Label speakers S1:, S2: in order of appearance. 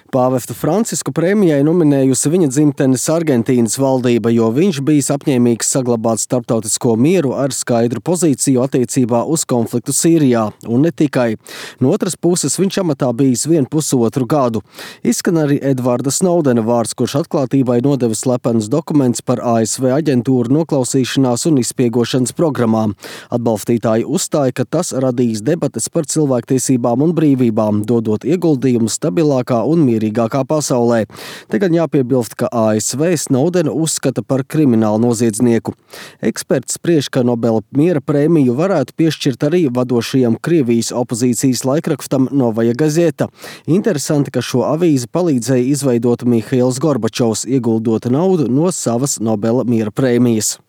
S1: Pāvestu Francisku prēmijai nominējusi viņa dzimtenes Argentīnas valdība, jo viņš bijis apņēmīgs saglabāt starptautisko mieru ar skaidru pozīciju attiecībā uz konfliktu Sīrijā, un ne tikai. No otras puses, viņš amatā bijis 1,5 gadu. Izskan arī Edvarda Snowdena vārds, kurš atklātībai nodeva slepenus dokumentus par ASV aģentūru noklausīšanās un izspiegošanas programmām. Atbalstītāji uzstāja, ka tas radīs debates par cilvēktiesībām un brīvībām, dodot ieguldījumu stabilākā un mierīgākā pasaulē. Te gan jāpiebilst, ka ASV Snowdenu uzskata par kriminālu noziedznieku. Eksperts spriež, ka Nobela miera prēmiju varētu piešķirt arī vadošajam Krievijas opozīcijas laikrakstam Novaja Gazeta. Interesanti, ka šo avīzi palīdzēja izveidot Mihails Gorbačovs, ieguldot naudu no savas Nobela miera prēmijas.